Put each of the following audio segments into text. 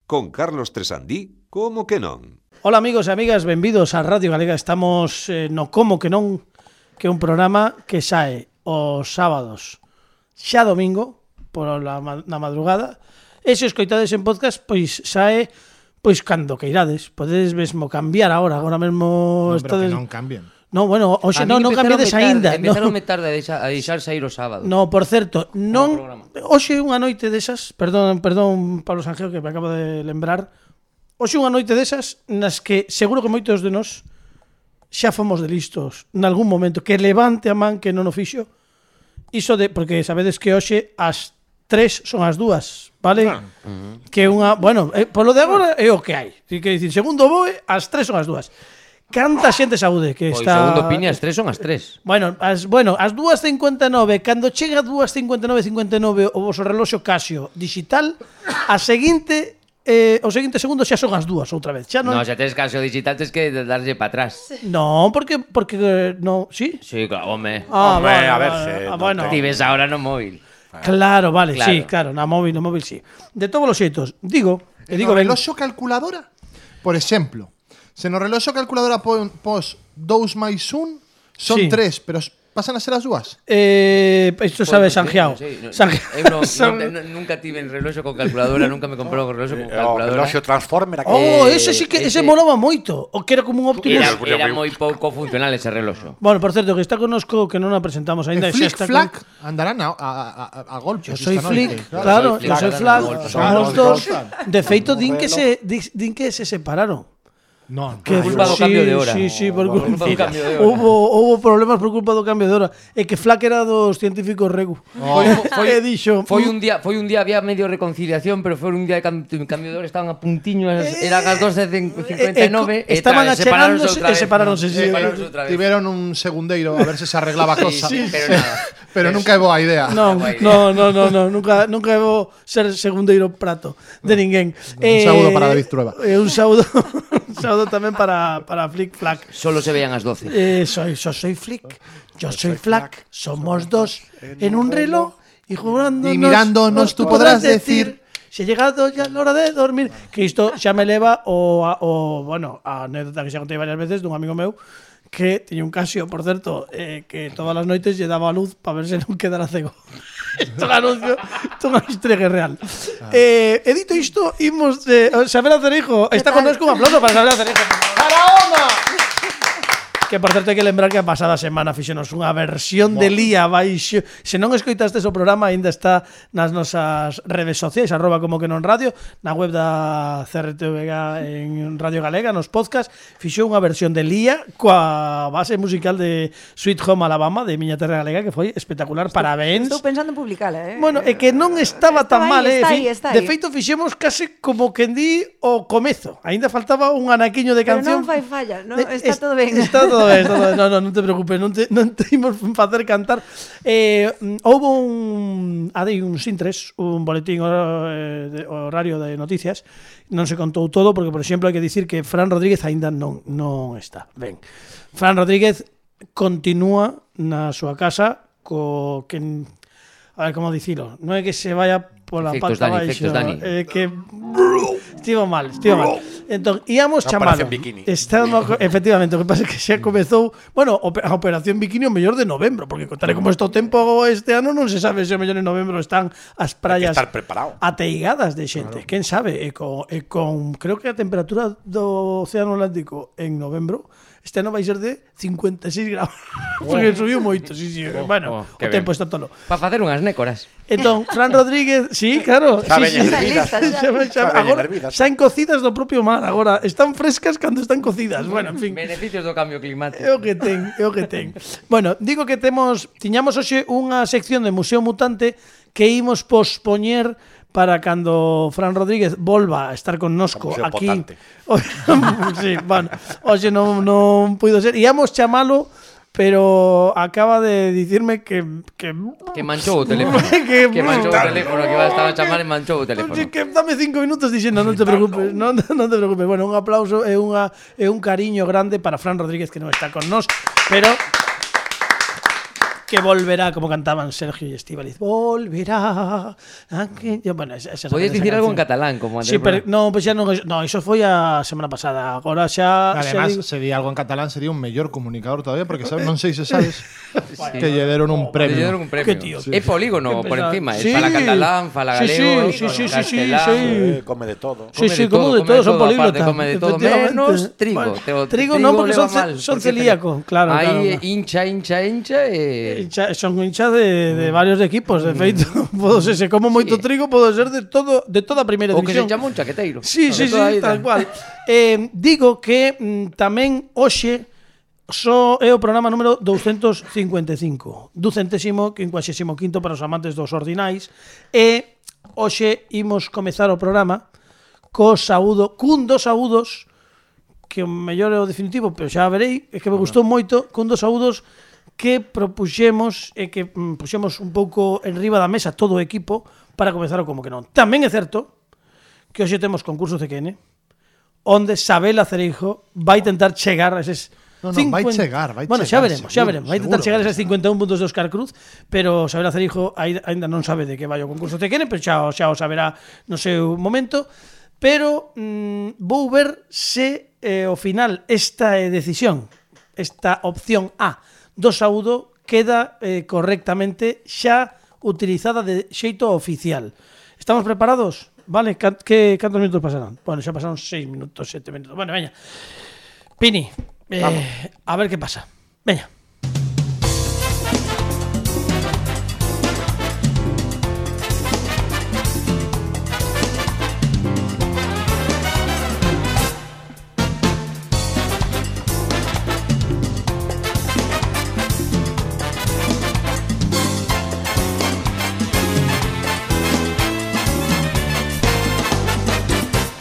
Con Carlos Tresandí, como que non? Ola amigos e amigas, benvidos a Radio Galega. Estamos no Como que non, que é un programa que sae os sábados xa domingo na madrugada. E se escoitades en podcast, pois sae pois cando queirades. Podedes mesmo cambiar agora mesmo Non, pero estades... que non cambien. No, bueno, hoxe non cambiades aínda. Empezaronme tarde a deixar sair o sábado. No, por certo, non hoxe unha noite desas, perdón, Pablo Sanjeo, que me acabo de lembrar. Hoxe unha noite desas nas que seguro que moitos de nós xa fomos de listos nalgún momento, que levante a man que non o fixo. Iso de, porque sabedes que hoxe as 3 son as 2, vale? Que unha, bueno, polo de agora é o que hai. Que dicir, segundo BOE, as 3 son as 2. Canta xente saúde que Pois está... segundo Piña, as 3 son as 3. Bueno, as 2:59, cando chega a 2:59 o vosso reloxo Casio digital, o seguinte segundo xa son as 2 outra vez. Xa non... No, xa tes Casio digital, tes que darlle para atrás. No, porque no, ¿sí? Sí, claro, home. Home, vale, a ver vale, se bueno. Ti ves ahora no móvil. Claro, vale, Claro. sí, claro, no móvil sí. De todos os xeitos, digo, No reloxo calculadora, por exemplo, se no reloxo calculadora pos 2 máis 1 son Sí. 3, pero pasan a ser as 2. Isto sabe Sanjiao. Nunca tive en reloxo con calculadora, nunca me comprou un reloxo con O calculadora. reloxo Transformer aquí. Ese sí que ese ese- molaba moito, o que era como un Optimus. Era moi pouco funcional ese reloxo. Bueno, por certo, que está connosco que non a presentamos aínda. E Flick Flack andarán a golpes. Yo soy esta Flick, noite. claro, soy yo soy Flick, Flack, claro, somos claro, dos. claro. De feito, din que se separaron. Non, Que culpa do cambio de hora. Sí, por culpa do cambio de hora. Hubo problemas por culpa do cambio de hora. E que Flack era dos científicos Regu. E dixo, Foi un día había medio reconciliación, pero foi un día de cambio de hora, estaban a puntiño, eran as 12:59 estaban separáronse achegándose, outra vez. sí. Separáronse outra vez. tiveron un segundeiro a ver se se arreglaba a cosa. Sí, pero nada. Pero nunca é boa idea. No, nunca vou ser segundeiro prato de ninguén. Un saúdo para David Trueba. Un saúdo tamén para Flick Flack. Solo se veían as 12. Soy Flick, yo soy Flack, somos dos en un reloj y jugándonos. Y mirándonos tú podrás decir si ha llegado ya la hora de dormir. Que isto xa me leva bueno, a anécdota que xa contei varias veces dun amigo meu que tiña un Casio, por certo, que todas as noites lle daba a luz para ver se non quedara cego. Isto é un anuncio, isto é unha historia real. E dito isto, imos Sabela Cereijo, está connosco, un aplauso para Sabela Cereijo. ¡Faraona! Que, por certo, hai que lembrar que a pasada semana fixenos unha versión de Lía baixo. Se non escoitastes o programa, aínda está nas nosas redes sociais, @como que non radio, na web da CRTVG en Radio Galega, nos podcast, fixou unha versión de Lía coa base musical de Sweet Home Alabama, de Miña Terra Galega, que foi espectacular. Parabéns. Estou pensando en publicala, Bueno, é que non estaba tan mal, Está aí. De feito, fixemos case como quen di o comezo. Aínda faltaba un anaquiño de Pero canción. non fai falla, ¿no? Está todo ben. Está todo ben. Non te preocupes, non te imos facer cantar. Houve un Sintres, un boletín horario de noticias. Non se contou todo porque, por exemplo, hai que dicir que Fran Rodríguez aínda non está. Ben. Fran Rodríguez continúa na súa casa a ver como dicilo, non é que se vaya pola Efectos pata Dani, baixo, efectos Dani. que estivo mal. Entón, íamos chamalo. Operación Bikini. Efectivamente, o que pasa é que xa comezou, bueno, a Operación Bikini o mellor de novembro, porque tal como está o tempo este ano non se sabe se o mellor en novembro están as praias estar preparado. ateigadas de xente. Quen sabe? E con creo que a temperatura do Océano Atlántico en novembro este ano vai ser de 56 graus. Porque subiu moito, sí. Bueno, o tempo está tolo. Para facer unhas nécoras. Entón, Fran Rodríguez, sí, claro. Xa sí, veñen sí. hervidas. Agora, xa en cocidas do propio mar. Agora, están frescas cando están cocidas. Bueno, en fin. Beneficios do cambio climático. É o que ten. Bueno, digo que tiñamos hoxe unha sección de Museo Mutante que imos pospoñer para cando Fran Rodríguez volva a estar connosco Museo aquí. Potante. Sí, bueno, hoxe non puido ser. Íamos chamalo, pero acaba de dicirme que manchou o teléfono. que manchou o teléfono, que estaba a chamar e manchou o teléfono. Que dame 5 minutos dixendo, non te preocupes, non te preocupes. Bueno, un aplauso e un cariño grande para Fran Rodríguez que non está con nós, pero que volverá, como cantaban Sergio y Estíbaliz. Volverá. Bueno, esa Podías dicir algo en catalán, como antes. Sí, pero no, pues ya no, eso foi a semana pasada. Agora xa Además, se di algo en catalán sería un mellor comunicador todavía, porque non sei se sabes que lle deron un premio. Lle deron un premio. Qué tío. É polígono por encima, Sí. fala catalán, fala galego, castelán. Come de todo. Sí, como de todo, son políglotas. Come de todo, Efectivamente. menos trigo. Bueno, trigo non, porque son celíaco. Claro, Aí claro. hincha e... Son hinchas de varios equipos, de feito. Se como moito trigo, pode ser de toda a primeira O que se división. chama un chaqueteiro. Sí, tal cual. Digo que tamén hoxe é o programa número 255, 255 para os amantes dos ordinais, e hoxe imos comezar o programa cun dos saúdos, que o mellor é o definitivo, pero xa verei, é que me gustou moito, cun dos saúdos que propuxemos e que puxemos un pouco en riba da mesa todo o equipo para comezar o como que non. Tamén é certo que hoxe temos concurso CQN, onde Sabela Cereijo vai tentar chegar a eses... Vai chegar. Bueno, xa veremos. Vai tentar chegar a seguro. eses 51 puntos de Óscar Cruz, pero Sabela Cereijo aínda non sabe de que vai o concurso CQN, pero xa o saberá no seu momento. Pero vou ver se ao final esta decisión, esta opción A do saúdo queda correctamente xa utilizada de xeito oficial. Estamos preparados? Vale, cantos minutos pasarán? Bueno, xa pasaron 6 minutos, 7 minutos. Bueno, veña. Pini, a ver que pasa. Veña.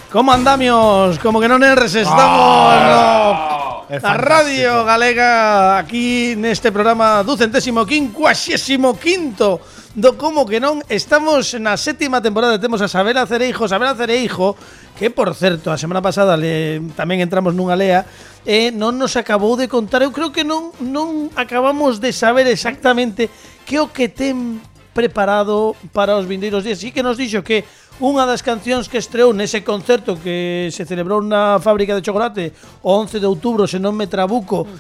Como andamios? Como que non erres, estamos na Radio Galega, aquí neste programa 255º do Como que non. Estamos na 7ª temporada, temos a Sabela Cereijo, que por certo, a semana pasada tamén entramos nunha lea e non nos acabou de contar, eu creo que non acabamos de saber exactamente que o que ten preparado para os vindeiros días. Sí que nos dixo que unha das cancións que estreou nese concerto que se celebrou na fábrica de chocolate o 11 de outubro, se non me trabuco,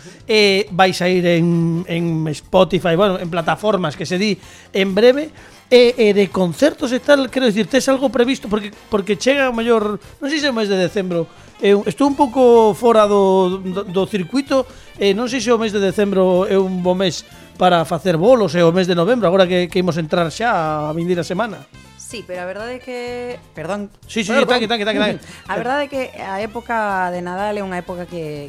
vai sair en Spotify, bueno, en plataformas que se di en breve, e de concertos e tal, quero dicir, tes algo previsto? Porque chega o mellor, non sei se é o mes de decembro, estou un pouco fora do circuito, non sei se o mes de decembro é un bo mes para facer bolos, e o mes de novembro, agora que imos entrar xa a vindeira semana. Sí, pero a verdade é que... Perdón. Sí, tanque. A verdade é que a época de Nadal é unha época que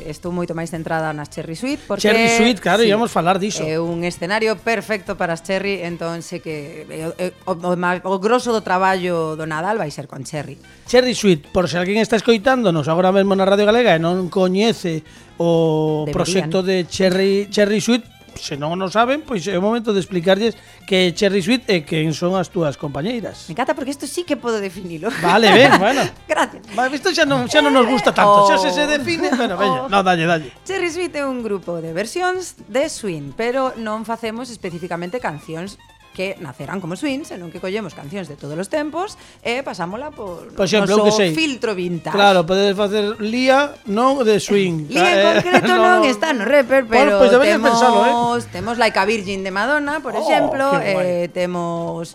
estou moito máis centrada nas Cherry Suite, porque Cherry Suite, claro, íamos falar diso. É un escenario perfecto para as Cherry, entón sei que o grosso do traballo do Nadal vai ser con Cherry. Cherry Suite, por se alguén está escoitándonos agora mesmo na Radio Galega e non coñece o proxecto de Cherry Suite, se non o saben, pois é o momento de explicarlles que Cherry Suite e quen son as túas compañeiras. Me encanta porque isto sí que podo definilo. Vale, ben, bueno. Gracias. Isto xa non nos gusta tanto, xa se define, bueno, veña, no, dalle. Cherry Suite é un grupo de versións de swing, pero non facemos especificamente cancións que nacerán como swing, senón que collemos cancións de todos os tempos e pasámola por exemplo, noso filtro vintage. Claro, podedes facer Lía, non de swing. Lía en concreto non está no rapper, pero pues deberías pensalo, temos Like a Virgin de Madonna, por exemplo, temos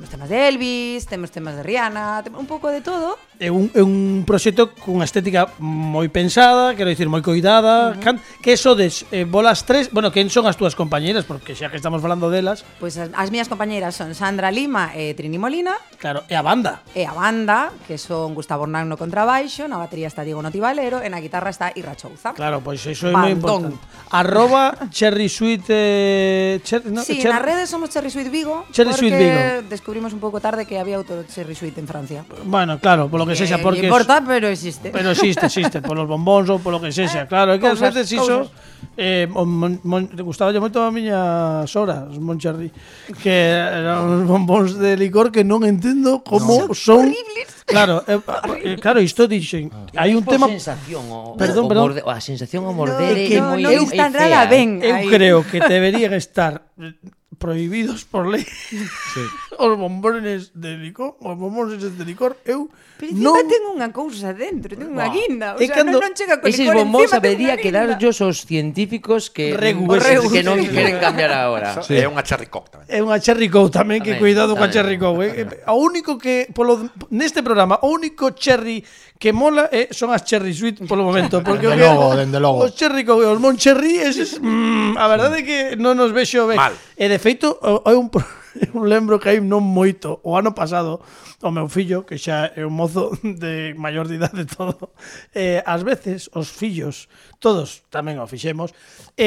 temas de Elvis, temos temas de Rihanna, un pouco de todo. É un proxecto cunha estética moi pensada, quero dicir, moi coidada. Que sodes bolas tres, bueno, quen son as túas compañeiras? Porque xa que estamos falando delas. Pois as miñas compañeiras son Sandra Lima e Trini Molina. Claro, e a banda, Que son Gustavo Hernán no contrabaixo, na batería está Diego Notivalero e na guitarra está Irra Chouza. Claro, pois iso é moi importante. @ Cherry Suite Sí, nas redes somos Cherry Suite Vigo. Cherry Suite Vigo. descubrimos un pouco tarde que había outro Cherry Sweet en Francia. Bueno, claro, polo que sexa, Non porque importa, pero existe. pero existe, polos bombóns ou polo que sexa. Claro, é que ás Cousas, veces iso gustaba moito a miña sora, os Moncherry, que eran uns bombóns de licor que non entendo como son. Claro, claro, isto dixen. Hai un tema. Perdón. A sensación ao morder que é moi non está nada ben. Eu creo que deberían estar prohibidos por lei os bombones de licor, eu Pero non encima ten unha cousa dentro, ten unha guinda. O É sea, cando- non chega con Eses licor bombóns encima, ten habería unha que guinda. darllos aos científicos que Regus. non queren cambiar agora. É unha cherry coke tamén. É unha cherry coke tamén, que Tamén, cuidado coa tamén. cherry coke. O único que neste programa, o único cherry que mola son as cherry sweet polo momento, porque Dende logo. os cherry coke e os Moncherry, eses, a verdade é que non nos vexo ben. Mal. E de feito, hai un eu lembro que hai non moito, o ano pasado, o meu fillo, que xa é un mozo de maior de idade e todo, ás veces os fillos, todos tamén o fixemos,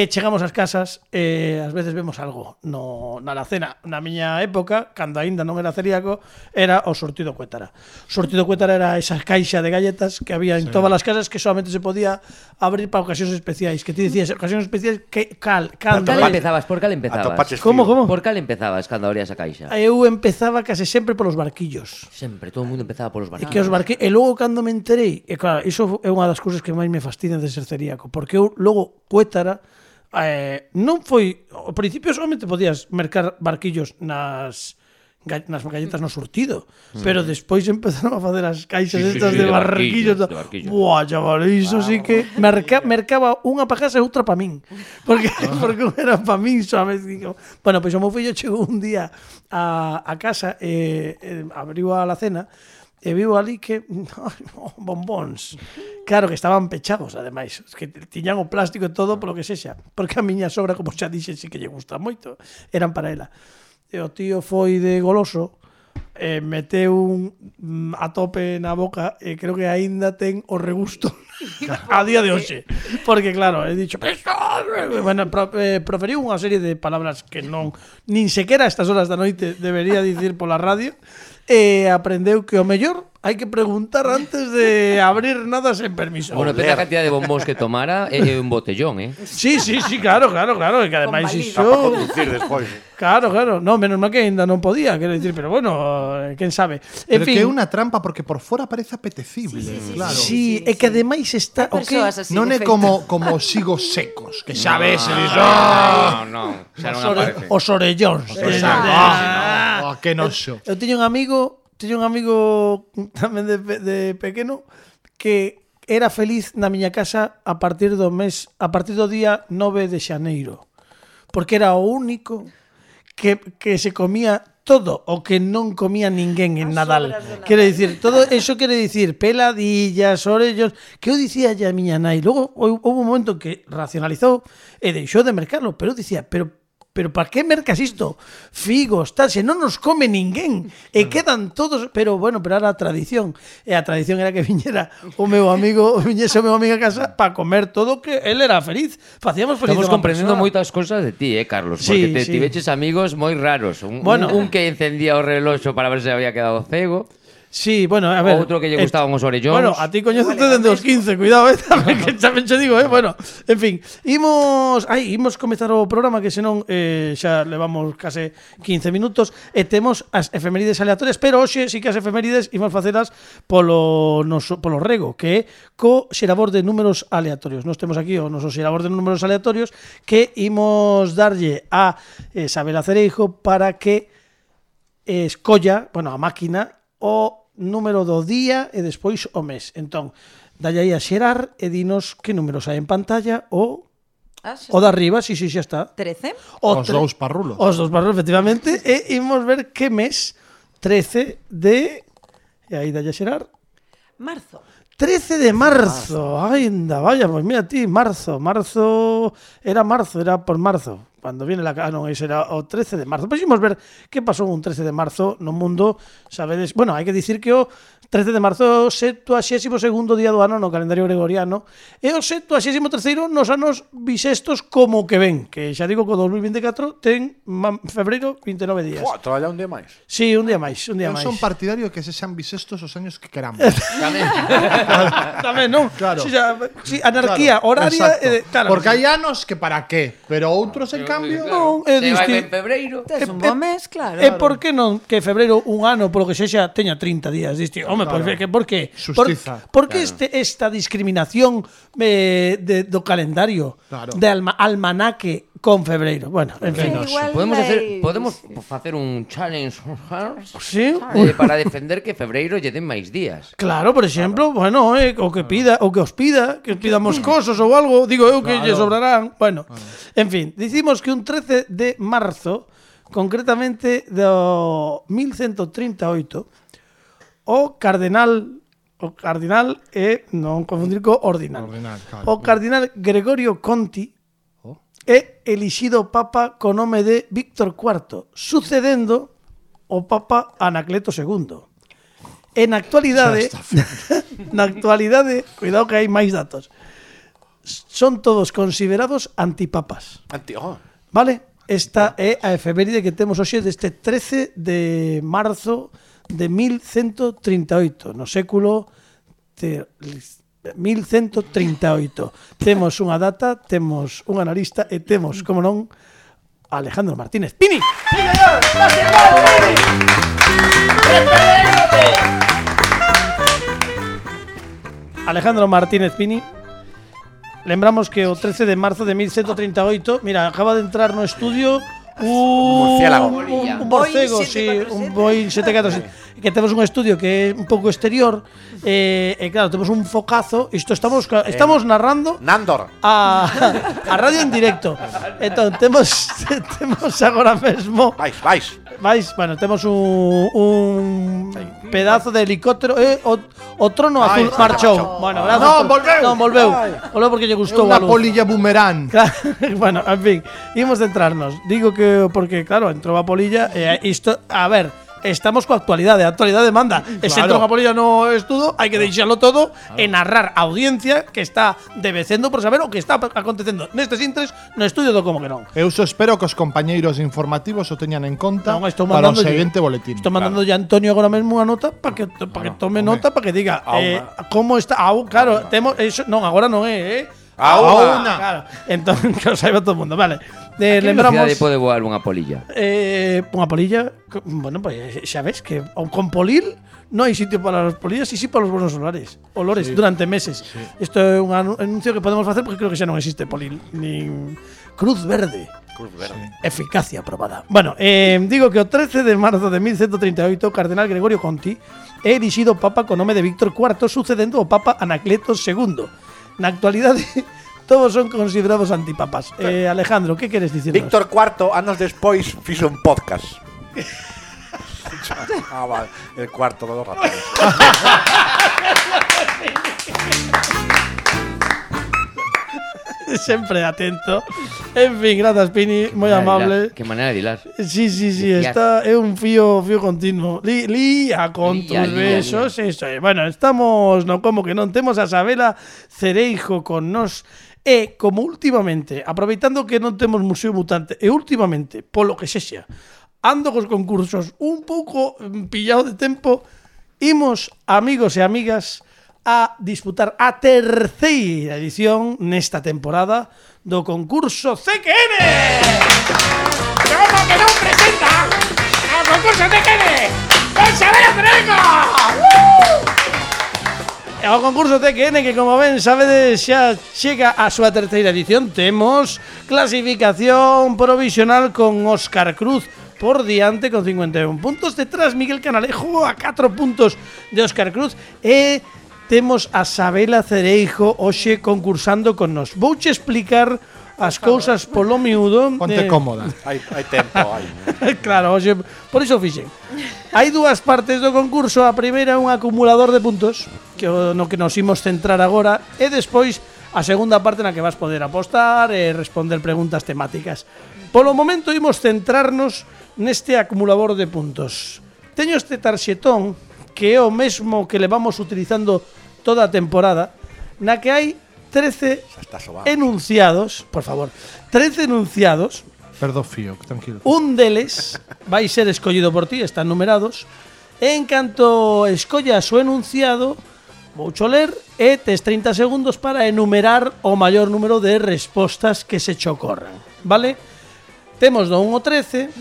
chegamos ás casas e ás veces vemos algo na alacena. Na miña época, cando aínda non era celíaco, era o sortido Cuétara. O sortido Cuétara era esa caixa de galletas que había en todas as casas, que solamente se podía abrir para ocasións especiais, que ti dicías, ocasións especiais, que Por cando cal empezabas? Por cal empezabas? Atopaches Como, frío. como? Por cal empezabas cando abrías a caixa? Eu empezaba case sempre polos barquillos. Sempre, todo o mundo empezaba polos E barcos. que os barquillos, e logo cando me enterei, e claro, iso é unha das cousas que máis me fastidian de ser celíaco, porque eu logo Cuétara non foi, ao principio solamente podías mercar barquillos nas galletas no surtido, pero despois empezaron a facer as caixas estas de barquillos. Buah, chaval, iso sí que mercaba unha pa casa e outra pa min. Porque unha era pa min solamente. Bueno, pois o meu fillo chegou un día a casa e abriu a alacena e viu ali que bombóns. Claro que estaban pechados, ademais, que tiñan o plástico e todo polo que sexa, porque a miña sogra, como xa dixen, sí que lle gusta moito, eran para ela. E o tío foi de goloso, meteu a tope na boca e creo que aínda ten o regusto a día de hoxe. Porque claro, he dicho, bueno, proferiu unha serie de palabras que non nin sequera a estas horas da noite debería dicir pola radio, e aprendeu que o mellor hai que preguntar antes de abrir nada sen permiso. Bueno, depende da cantidad de bombóns que tomara, é un botellón, Sí, claro, e que ademais Con iso... Para conducir despois. Claro, no, menos mal que ainda non podía, quero dicir, pero bueno, quen sabe. En Pero fin, que é unha trampa porque por fora parece apetecible. Claro. sí, é que ademais está... Hai persoas así, Non de é feito. como os higos secos, que xa ves, non, xa non aparece. Os orellóns. que noxo. Eu teño un amigo tamén de pequeno que era feliz na miña casa a partir do día 9 de xaneiro, porque era o único que se comía todo o que non comía ninguén en Nadal. Quere dicir, todo eso quere dicir peladillas, orellos, que eu dicía a miña nai. Logo houve un momento que racionalizou e deixou de mercarlo, pero eu dicía, pero para que mercas isto? Figos, tal, se non nos come ninguén e quedan todos, pero era a tradición. E a tradición era que viñese o meu amigo a casa para comer todo, que él era feliz. Facíamos feliz. Estamos comprendendo moitas cosas de ti, Carlos, porque Sí. tiveches amigos moi raros. Un que encendía o reloxo para ver se había quedado cego. Sí, bueno, a ver. Outro que lle gustaban os orellóns. Bueno, a ti coñecete dende os 15, cuidado, tamén che digo, bueno, en fin, imos comezar o programa, que senón xa levamos case 15 minutos e temos as efemérides aleatorias, pero hoxe sí que as efemérides imos facelas polo rego, que é co xerador de números aleatorios. Nos temos aquí o noso xerador de números aleatorios que imos darlle a Isabela Cereijo para que escolla, a máquina, o número do día e despois o mes. Entón, dalle aí a xerar e dinos que números hai en pantalla o de arriba, sí, xa está. 13. Os dous parrulos. Os dous parrulos, efectivamente. E imos ver que mes 13 de... E aí dalle a xerar. Marzo. 13 de marzo. Ai, anda, vaya, pois mira ti, marzo. Era por marzo. Cando viene ese era o 13 de marzo. Pois imos ver que pasou un 13 de marzo no mundo, sabedes. Bueno, hai que dicir que o 13 de marzo, 72º día do ano no calendario gregoriano e o 73º nos anos bisestos como que ven, que xa digo que o 2024 ten febreiro 29 días. Buah, traballa un día máis. Sí, un día máis, un día Eu máis. son partidario que se sean bisestos os años que queramos. Tamén, non? Claro. Sí, anarquía horaria, claro. Porque hai anos que para qué, pero outros en cambio Non, é Se vai distinto. en febreiro. Tes un bo mes, claro. E por que non que febreiro un ano polo que sexa teña 30 días? Diste, home, Claro. pues, por que? Xustiza. Por que esta discriminación do calendario Claro. de almanaque con febreiro? Bueno, en fin. Igual Podemos facer un challenge Sí? para defender que febreiro lle den máis días. Claro, por exemplo, bueno, o que os pida, que pidamos cosas ou algo, digo eu que lle sobrarán. Bueno, en fin, dicimos que un 13 de marzo, concretamente do 1138, o cardenal é non confundir co ordinal. Claro. O cardenal Gregorio Conti é elixido papa co nome de Víctor IV, sucedendo o papa Anacleto II. En actualidade, cuidado que hai máis datos. Son todos considerados antipapas. Vale? Esta é a efeméride que temos hoxe deste 13 de marzo de 1138, no século 1138. Temos unha data, temos un analista e temos, como non, Alejandro Martínez Pini. Alejandro Martínez Pini. Lembramos que o 13 de marzo de 1138, mira, acaba de entrar no estudio Murciélago. un borcego, sí, un Boeing 747, que temos un estudio que é un pouco exterior, e claro, temos un focazo, isto estamos narrando Nandor. a radio en directo. Entón, temos agora mesmo bueno, temos un pedazo de helicóptero o trono azul marchou. Bueno, Non, volveu. Non, volveu porque lle gustou a Unha luz. polilla boomerang. Claro, bueno, en fin, imos centrarnos. Digo que porque claro, entrou a polilla e isto, a ver, estamos coa actualidade, a actualidade manda. E se entrou a polilla no estudo, hai que deixalo todo e narrar a audiencia que está debecendo por saber o que está acontecendo nestes intres no estudio do Como que non. Eu só espero que os compañeiros informativos o teñan en conta Non, estou para o mandándolle- seguinte boletín. Estou mandando ya a Antonio agora mesmo unha nota para que tome nota, para que diga como está. Claro, temos eso, non, agora non é, Aúna. Claro. Entón, que o saiba todo o mundo, vale. A que Lembramos velocidade pode voar unha polilla? unha polilla, bueno, pues xa ves que con polil non hai sitio para las polillas y sí para los buenos olores durante meses. Isto é un anuncio que podemos facer porque creo que xa non existe polil nin Cruz Verde. Eficacia probada. Bueno, digo que o 13 de marzo de 1138 o cardenal Gregorio Conti é elixido papa co nome de Víctor IV, sucedendo o papa Anacleto II. Na actualidade todos son considerados antipapas. Alejandro, que queres dicirnos? Víctor IV, anos despois, fixo un podcast. Vale, el cuarto de los ratones. Sempre atento. En fin, grazas, Pini, moi amable. Que maneira de hilar. Sí, Liar. está é un fío continuo. Lía con Lía, tus lía, besos, eso é. Bueno, estamos no como que non temos a Sabela Cereijo con nos e como últimamente, aproveitando que non temos Museo Mutante, e últimamente, polo que sexa, ando cos concursos un pouco pillado de tempo, imos, amigos e amigas, a disputar a terceira edición nesta temporada do concurso CQN. Como que non presenta o concurso CQN con Sabela Cereijo. E o concurso CQN que, como ben sabedes, xa chega a súa terceira edición. Temos clasificación provisional con Óscar Cruz por diante con 51 puntos, detrás Miguel Canalejo a 4 puntos de Óscar Cruz e temos a Sabela Cereijo hoxe concursando con nos. Vouche explicar as cousas polo miúdo. Ponte cómoda. Hai tempo, hai. Claro, hoxe, por iso fixen. Hai dúas partes do concurso. A primeira é un acumulador de puntos no que nos imos centrar agora, e despois a segunda parte na que vas poder apostar e responder preguntas temáticas. Polo momento imos centrarnos neste acumulador de puntos. Teño este tarxetón que é o mesmo que levamos utilizando toda a temporada, na que hai 13 está sobando. enunciados, por favor, 13 enunciados. Perdo fío, tranquilo. Un deles vai ser escollido por ti, están numerados. En canto escollas o enunciado, voucho ler e tes 30 segundos para enumerar o maior número de respostas que se che ocorran, vale? Temos do 1 ao 13.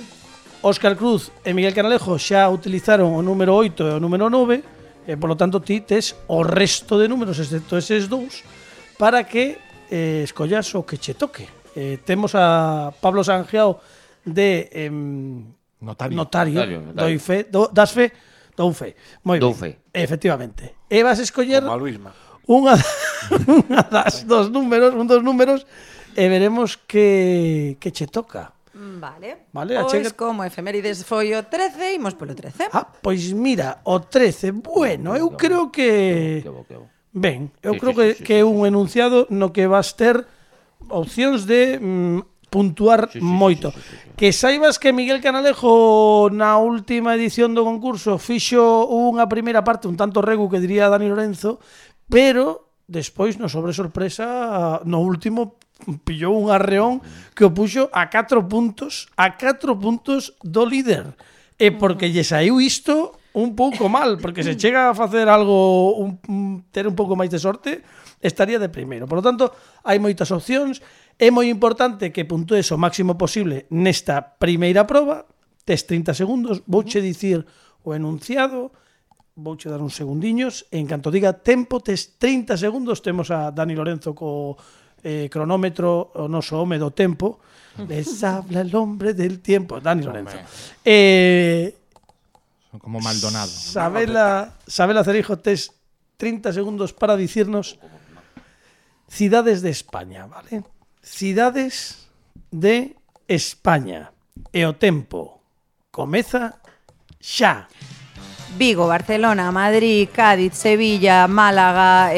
Óscar Cruz e Miguel Canalejo xa utilizaron o número 8 e o número 9, e polo tanto ti tes o resto de números, excepto eses dous, para que escollas o que che toque. Temos a Pablo Sangiao de notario. Dou fe. Dou fe. Moi Dou ben. fe. Efectivamente. E vas escoller Como a Luisma. unha dos números e veremos que che toca. Vale. Vale, Pois achega- como efemérides foi o 13, imos polo 13. Ah, pois mira, o 13. Bueno, eu creo que Que bo, que bo. ben, eu Sí, creo sí, sí, que é un enunciado no que vas ter opcións de puntuar moito. Que saibas que Miguel Canalejo na última edición do concurso fixo unha primeira parte un tanto regu que diría Dani Lorenzo, pero despois no sobre sorpresa no último pillou un arreón que o puxo a 4 puntos do líder. E porque lle saiu isto un pouco mal, porque se chega a facer algo ter un pouco máis de sorte, estaría de primeiro. Por lo tanto, hai moitas opcións. É moi importante que puntues o máximo posible nesta primeira proba. Tes 30 segundos, vouche dicir o enunciado, vouche dar uns segundiños, e en canto diga tempo, tes 30 segundos. Temos a Dani Lorenzo co cronómetro, o noso home do tempo. Les habla el hombre del tiempo. Dani Lorenzo. Son como Maldonado. Sabela Cerijo, tes 30 segundos para dicirnos cidades de España, vale? Cidades de España. E o tempo comeza xa. Vigo, Barcelona, Madrid, Cádiz, Sevilla, Málaga,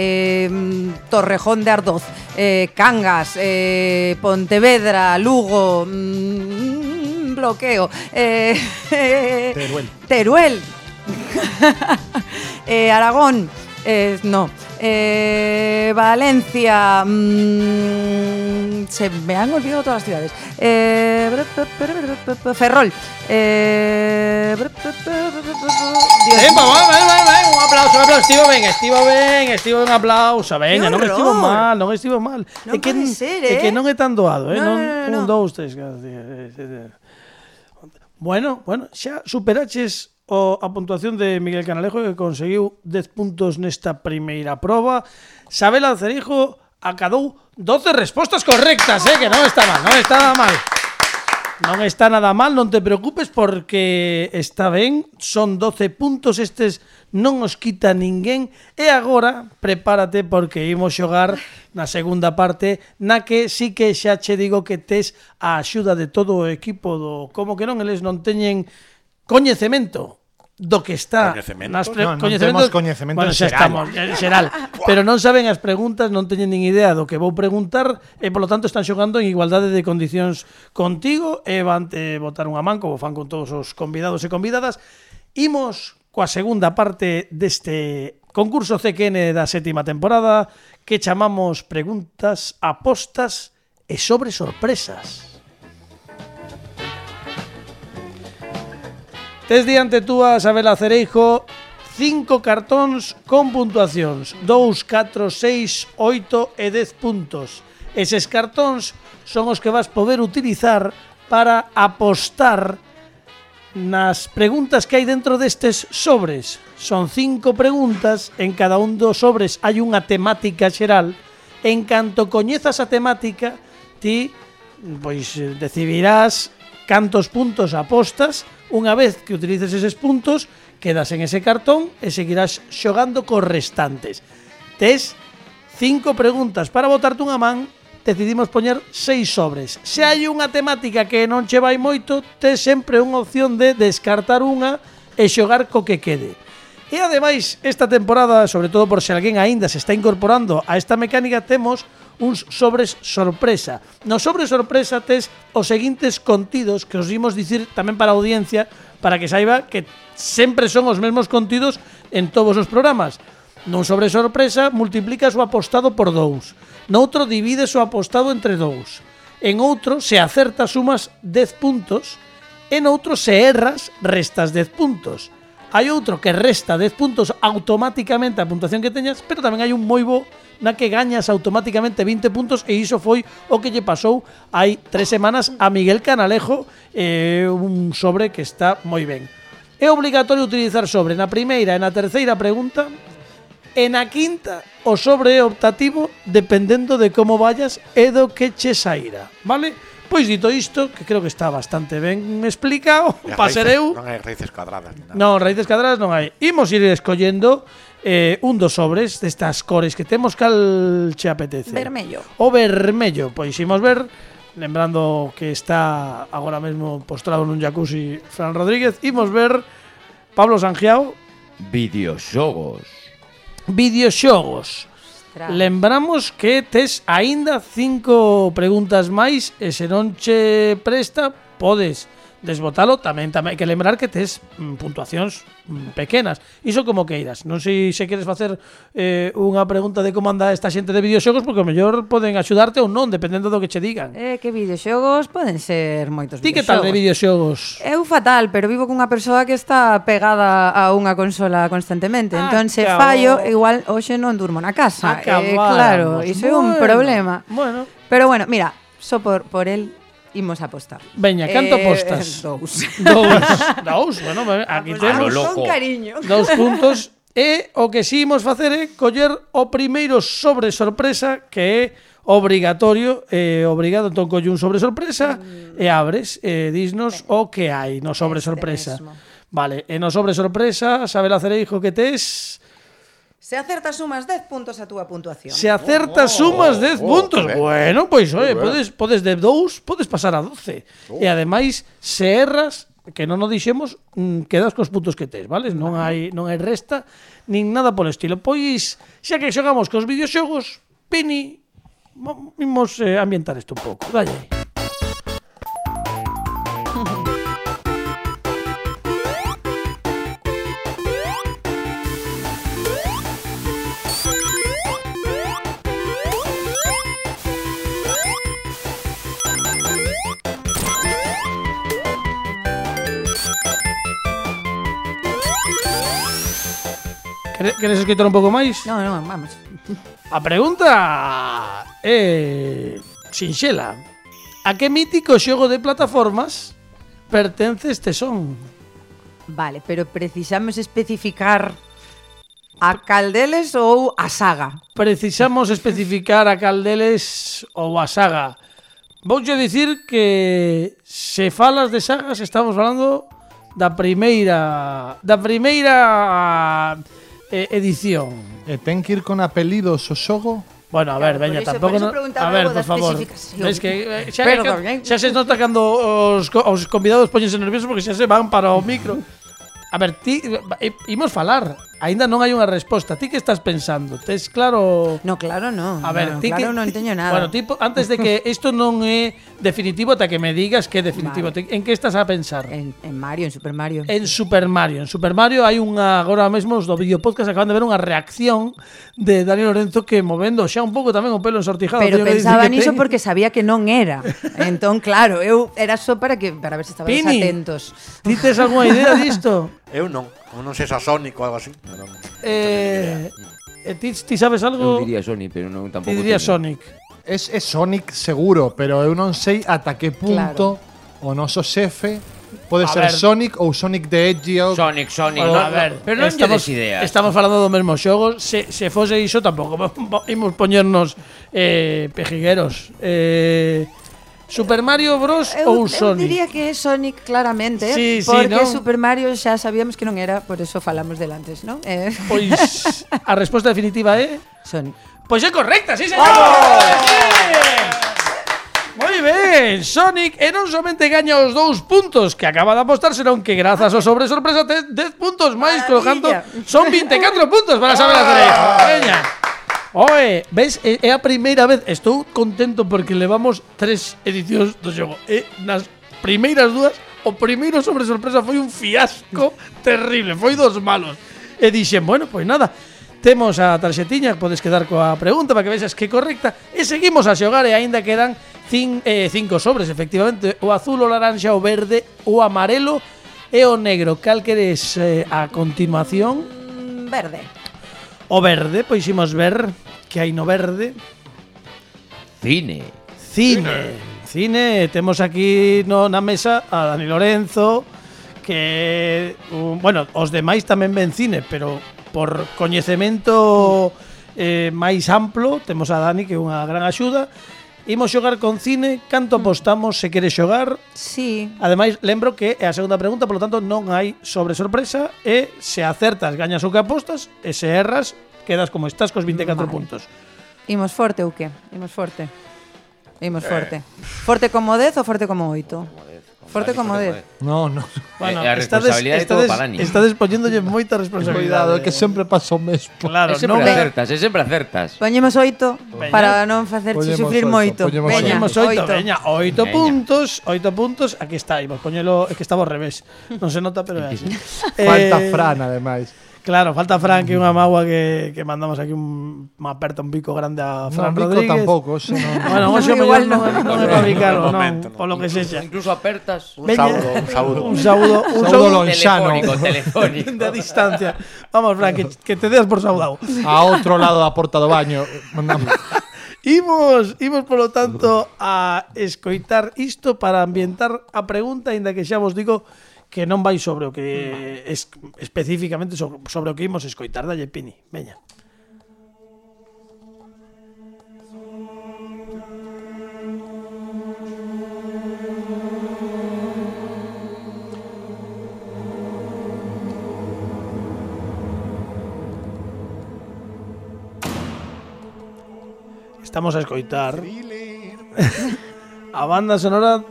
Torrejón de Ardoz, Cangas, Pontevedra, Lugo, bloqueo, Teruel, Aragón, no, Valencia, se me han olvidado todas las ciudades, Ferrol, Un aplauso, estivo ben, aplauso, veña, Que non estivo mal. Non pode ser, É que non é tan doado, No. Un, dous, tres. Bueno, xa superaches a puntuación de Miguel Canalejo, que conseguiu 10 puntos nesta primeira proba. Sabela Cerijo acadou 12 respostas correctas, que non está mal, non está nada mal, non te preocupes porque está ben, son 12 puntos, estes non os quita ninguén. E agora, prepárate porque imos xogar na segunda parte, na que sí que xa che digo que tes a axuda de todo o equipo do Como que non, eles non teñen coñecemento do que está Coñecemento? Non temos coñecemento bueno, xa xeral. estamos, xeral, pero non saben as preguntas, non teñen nin idea do que vou preguntar e polo tanto están xogando en igualdade de condicións contigo e van te botar unha man como fan con todos os convidados e convidadas. Imos coa segunda parte deste concurso CQN da 7ª temporada que chamamos preguntas, apostas e sobre sorpresas. Tes diante túa, Sabela Cereijo, 5 cartóns con puntuacións 2, 4, 6, 8 e 10 puntos. Eses cartóns son os que vas poder utilizar para apostar nas preguntas que hai dentro destes sobres. Son 5 preguntas, en cada un dos sobres hai unha temática xeral. En canto coñezas a temática, ti pois decidirás cantos puntos apostas. Unha vez que utilices eses puntos, quedas en ese cartón e seguirás xogando cos restantes. Tes 5 preguntas para botarte unha man, decidimos poñer 6 sobres. Se hai unha temática que non che vai moito, tes sempre unha opción de descartar unha e xogar co que quede. E ademais, esta temporada, sobre todo por se alguén aínda se está incorporando a esta mecánica, temos uns sobres sorpresa. No sobre sorpresa tes os seguintes contidos que os imos dicir tamén para a audiencia, para que saiba que sempre son os mesmos contidos en todos os programas. Nun sobre sorpresa, multiplicas o apostado por 2. Noutro, divides o apostado entre 2. En outro, se acertas, sumas 10 puntos. En outro, se erras, restas 10 puntos. Hai outro que resta 10 puntos automáticamente a puntuación que teñas, pero tamén hai un moi bo na que gañas automáticamente 20 puntos, e iso foi o que lle pasou hai 3 semanas a Miguel Canalejo, un sobre que está moi ben. É obligatorio utilizar sobre na primeira e na terceira pregunta. E na quinta, o sobre é optativo dependendo de como vayas e do que che saíra, vale? Pois dito isto, que creo que está bastante ben explicado, pasereu. Non hai raíces cuadradas. Non, raíces cuadradas non hai. Imos ir escollendo un dos sobres destas cores que temos. Cal che apetece? Vermello. O vermello, pois imos ver. Lembrando que está agora mesmo postrado nun jacuzzi Fran Rodríguez. Imos ver Pablo Sangiao. Videoxogos. Videoxogos. Lembramos que tes aínda 5 preguntas máis e se non che presta podes desbotalo. Tamén hai que lembrar que tes puntuacións pequenas. Iso como queiras. Non sei se queres facer unha pregunta de como anda esta xente de videoxogos, porque o mellor poden axudarte ou non, dependendo do que che digan. Que videoxogos poden ser moitos Ti videoxogos. que tal de videoxogos? Eu fatal, pero vivo cunha persoa que está pegada a unha consola constantemente. Entón, se fallo, igual hoxe non durmo na casa. Claro, iso é un problema. Bueno. Pero bueno, mira, só por el imos a apostar. Veña, canto apostas? 2. Dous, bueno, aquí temos Con cariño. 2 puntos. E o que si imos facer é coller o primeiro sobre sorpresa, que é obrigatorio, obrigado. Entón colle un sobre sorpresa e abres, disnos o que hai no sobre sorpresa. Mesmo. Vale, e no sobre sorpresa, Sabela Cereijo, que tes? Se acertas sumas 10 puntos a túa puntuación. Se acertas sumas 10 puntos. ben. Bueno, pois, oye, podes de 2, podes pasar a 12. E ademais, se erras, que non o dixemos, quedas cos puntos que tes, vale? Non hai resta, nin nada polo estilo. Pois, xa que xogamos cos videoxogos, Pini, imos ambientar isto un pouco. Dalle aí. Queres escritor un pouco máis? No, vamos. A pregunta é sinxela. A que mítico xogo de plataformas pertence este son? Vale, pero precisamos especificar a caldeles ou a saga. Precisamos especificar a caldeles ou a saga. Vouche dicir que se falas de sagas estamos falando da primeira edición. E ten que ir con apelidos o xogo? Bueno, a ver, Claro, veña, por iso- tampouco por iso no. preguntaba A ver, eu por da favor. especificación. Ves que Perdón, xa se nota cando os convidados poñense nerviosos porque xa se van para o micro. A ver, ti imos falar. Aínda non hai unha resposta. Ti que estás pensando? Tes claro? No, claro, no. A ver, no, ti claro, que non teño nada. Bueno, tipo, antes de que isto non é definitivo, ata que me digas que é definitivo. Vale. En que estás a pensar? En Mario, en Super Mario. En Super Mario. En Super Mario hai unha, agora mesmo os do videopodcast acaban de ver unha reacción de Dani Lorenzo que movendo xa un pouco tamén o pelo ensortijado. Pero teño que dicir pensaba que niso ten. porque sabía que non era. Entón, claro, eu era só para ver se estabades Pini, atentos. ti tes algunha idea disto? Eu non. Eu non sei se a Sonic ou algo así. Pero non. Ti sabes Eu algo? diría Sony, pero non Ti tampouco. diría teño. Sonic. É Sonic seguro, pero eu non sei ata que punto o noso xefe pode A ser ver. Sonic ou Sonic the Hedgehog. Sonic, Bueno, a ver, pero non lle des ideas. Estamos falando do mesmo xogo. Se fose iso tampouco imos poñernos pejigueros. Super Mario Bros ou Eu Sonic? diría que é Sonic claramente, Sí, sí, porque ¿no? Super Mario xa sabíamos que non era, por eso falamos del antes, ¿no? Pois a resposta definitiva é Sonic. pois é correcta, sí, señor. Moi ben, Sonic e non somente gaña os 2 puntos que acaba de apostar, senón que grazas ao sobre sorpresa tes 10 puntos máis, colocando son 24 puntos para saber a Cereijo. Veña. Oe, ves, é a primeira vez, estou contento porque levamos 3 edicións do xogo. E nas primeiras dúas, o primeiro sobre sorpresa foi un fiasco terrible, foi dos malos. E dixen, bueno, pois nada, temos a tarxetiña, podes quedar coa pregunta para que vexas que correcta. E seguimos a xogar e aínda quedan 5 sobres, efectivamente. O azul, o laranxa, o verde, o amarelo e o negro. Cal queres a continuación? Verde. O verde, pois imos ver que hai no verde. Cine. Cine, temos aquí na mesa a Dani Lorenzo, que, bueno, os demais tamén ven cine, pero por coñecemento máis amplo, temos a Dani, que é unha gran axuda. Imos xogar con cine, canto apostamos se queres xogar? Sí. Ademais, lembro que é a segunda pregunta, polo tanto non hai sobre sorpresa, e se acertas gañas o que apostas, e se erras quedas como estás cos 24 puntos. Imos forte ou que? Imos forte. Forte como 10 ou forte como 8? Forte como 10. No. Bueno, a responsabilidade é todo para Dani. Estades poñéndolle moita responsabilidade. Cuidado, é que sempre pasa o mesmo. Claro, sempre non acertas. Poñemos 8 para non facerche Poñemos sufrir oito, moito. poñemos Veña, 8 puntos, 8 puntos. Aquí está, imos poñelo, é que estaba ao revés. Non se nota, pero é así. Falta Fran, ademais. Claro, falta Fran, que é unha magua que mandamos aquí unha aperta un pico grande a Fran Bico Rodríguez. tampouco, ese non. Bueno, hoxe Igual non é para bicarlo, non, polo que sexa. Incluso apertas. Un saúdo. Un saúdo lonxano. Telefónico. de distancia. Vamos, Fran, que te deas por saudado. A outro lado da porta do baño. Imos, polo tanto, a escoitar isto para ambientar a pregunta, aínda que xa vos digo que non vai sobre o que especificamente sobre o que imos escoitar. Dalle, Pini, veña. Estamos a escoitar a banda sonora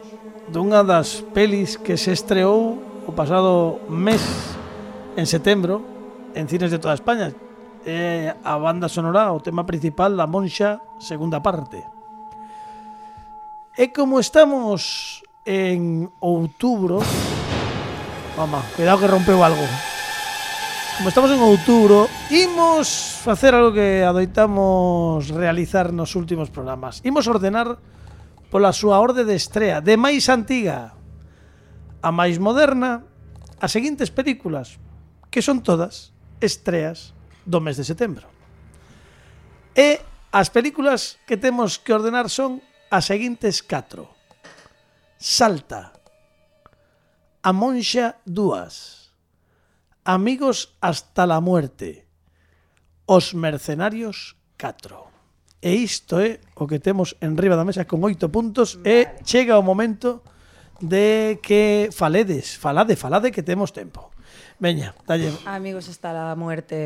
dunha das pelis que se estreou o pasado mes, en setembro, en cines de toda España. A banda sonora, o tema principal, La Monxa, segunda parte. E como estamos en outubro... Mama, cuidado que rompeu algo. Como estamos en outubro, imos facer algo que adoitamos realizar nos últimos programas. Imos ordenar pola súa orde de estrea, de máis antiga a máis moderna, as seguintes películas, que son todas estreas do mes de setembro. E as películas que temos que ordenar son as seguintes 4. Salta, A Monxa 2, Amigos hasta la muerte, Os Mercenarios 4. E isto é o que temos en riba da mesa con 8 puntos e chega o momento de que falade que temos tempo. Veña, dalle. Amigos hasta la muerte